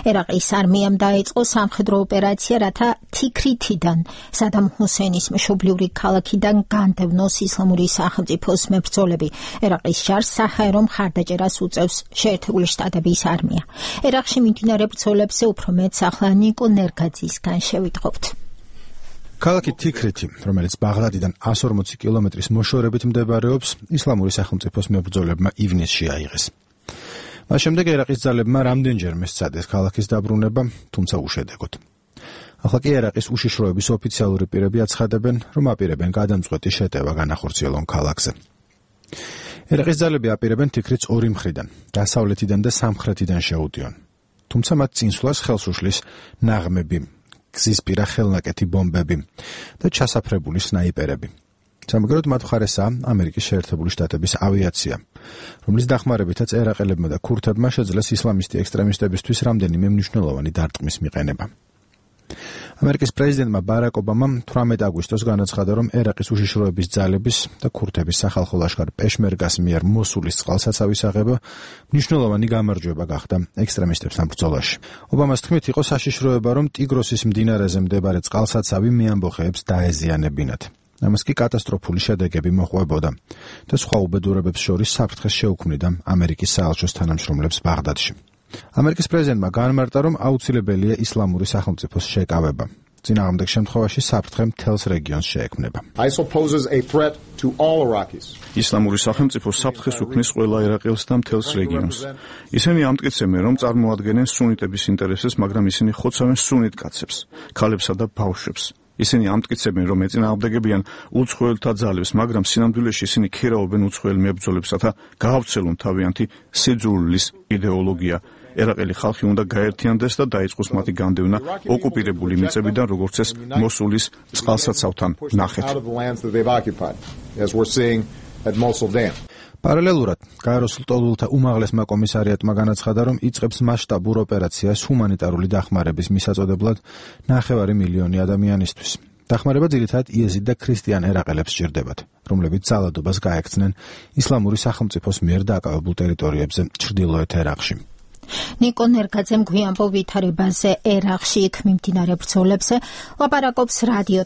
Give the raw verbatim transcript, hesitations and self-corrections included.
ერაყის არმიამ დაიწყო სამხედრო ოპერაცია, რათა თიქრითიდან სადამ ჰუსეინის მშობლიური ქალაქიდან განდევნოს ისლამური სახელმწიფოს მებრძოლები. ერაყის ჯარს საჰაერო მხარდაჭერას უწევს შეერთებული შტატების არმია. ერაყში მიმდინარე ბრძოლებზე უფრო მეტს ახლა ნიკო ნერგაძისგან შევიტყობთ. ქალაქი თიქრითი, რომელიც ბაღდადიდან εκατს ორმოცი კილომეტრის მოშორებით მდებარეობს, ისლამური სახელმწიფოს მებრძოლებმა ივნისში აიღეს. მას შემდეგ ერაყის ძალებმა რამდენჯერმე სცადეს ქალაქის დაბრუნება, თუმცა უშედეგოდ. ახლა კი ერაყის უშიშროების ოფიციალური პირები აცხადებენ, რომ აპირებენ გადამწყვეტი შეტევა განახორციელონ ქალაქზე. ერაყის ძალები აპირებენ თიქრითს ორი მხრიდან, დასავლეთიდან და სამხრეთიდან შეუტიონ. თუმცა მათ წინსვლას ხელს უშლის ნაღმები, გზისპირა ხელნაკეთი ბომბები და ჩასაფრებული სნაიპერები. სამაგეროდ მათ მხარესაა ამერიკის შეერთებული შტატების ავიაცია, რომლის დახმარებითაც ერაყელებმა და ქურთებმა შეძლეს ისლამისტი ექსტრემისტებისთვის რამდენიმე მნიშვნელოვანი დარტყმის მიყენება. ამერიკის პრეზიდენტმა ბარაკ ობამამ თვრამეტ აგვისტოს განაცხადა, რომ ერაყის უშიშროების ძალების და ქურთების სახალხო ლაშქარ პეშმერგას მიერ მოსულის წყალსაცავის აღება მნიშვნელოვანი გამარჯვება გახდა ექსტრემისტებთან ბრძოლაში. ობამას თქმით, იყო საშიშროება, რომ ტიგროსის მდინარეზე მდებარე წყალსაცავი მეამბოხეებს დაეზიანებინათ. ამას კი კატასტროფული შედეგები მოჰყვებოდა და სხვა უბედურებებს შორის საფრთხეს შეუქმნიდა ამერიკის საელჩოს თანამშრომლებს ბაღდადში. ამერიკის პრეზიდენტმა განმარტა, რომ აუცილებელია ისლამური სახელმწიფოს შეკავება. წინააღმდეგ შემთხვევაში საფრთხე მთელს რეგიონს შეექმნება. ისლამური სახელმწიფო საფრთხეს უქმნის ყველა ერაყელს და მთელს რეგიონს. ისინი ამტკიცებენ, რომ წარმოადგენენ სუნიტების ინტერესებს, მაგრამ ისინი ხოცავენ სუნიტ კაცებს, ქალებსა და ბავშვებს. ისინი ამტკიცებენ, რომ ეწინააღმდეგებიან უცხოელთა ძალებს, მაგრამ სინამდვილეში ისინი ქერავენ უცხოელ მებრძოლებს, რათა გაავრცელონ თავიანთი სიძულვილის იდეოლოგია. ერაყელი ხალხი უნდა გაერთიანდეს და დაიწყოს მათი განდევნა ოკუპირებული მიწებიდან, როგორც ეს მოსულის წყალსაცავთან ნახეთ. პარალელურად, გაეროს ლტოლვილთა უმაღლესმა კომისარიატმა განაცხადა, რომ იწყებს მასშტაბურ ოპერაციას ჰუმანიტარული დახმარების მისაწოდებლად ნახევარი მილიონი ადამიანისთვის. დახმარება ძირითადად იეზიდ და ქრისტიან ერაყელებს სჭირდებათ, რომლებიც ძალადობას გაექცნენ ისლამური სახელმწიფოს მიერ დაკავებულ ტერიტორიებზე ჩრდილოეთ ერაყში. ნიკო ნერგაძემ გვიანბო ვითარებაზე ერაყში იქ მიმდინარე ბრძოლებზე ლაპარაკობს რადიო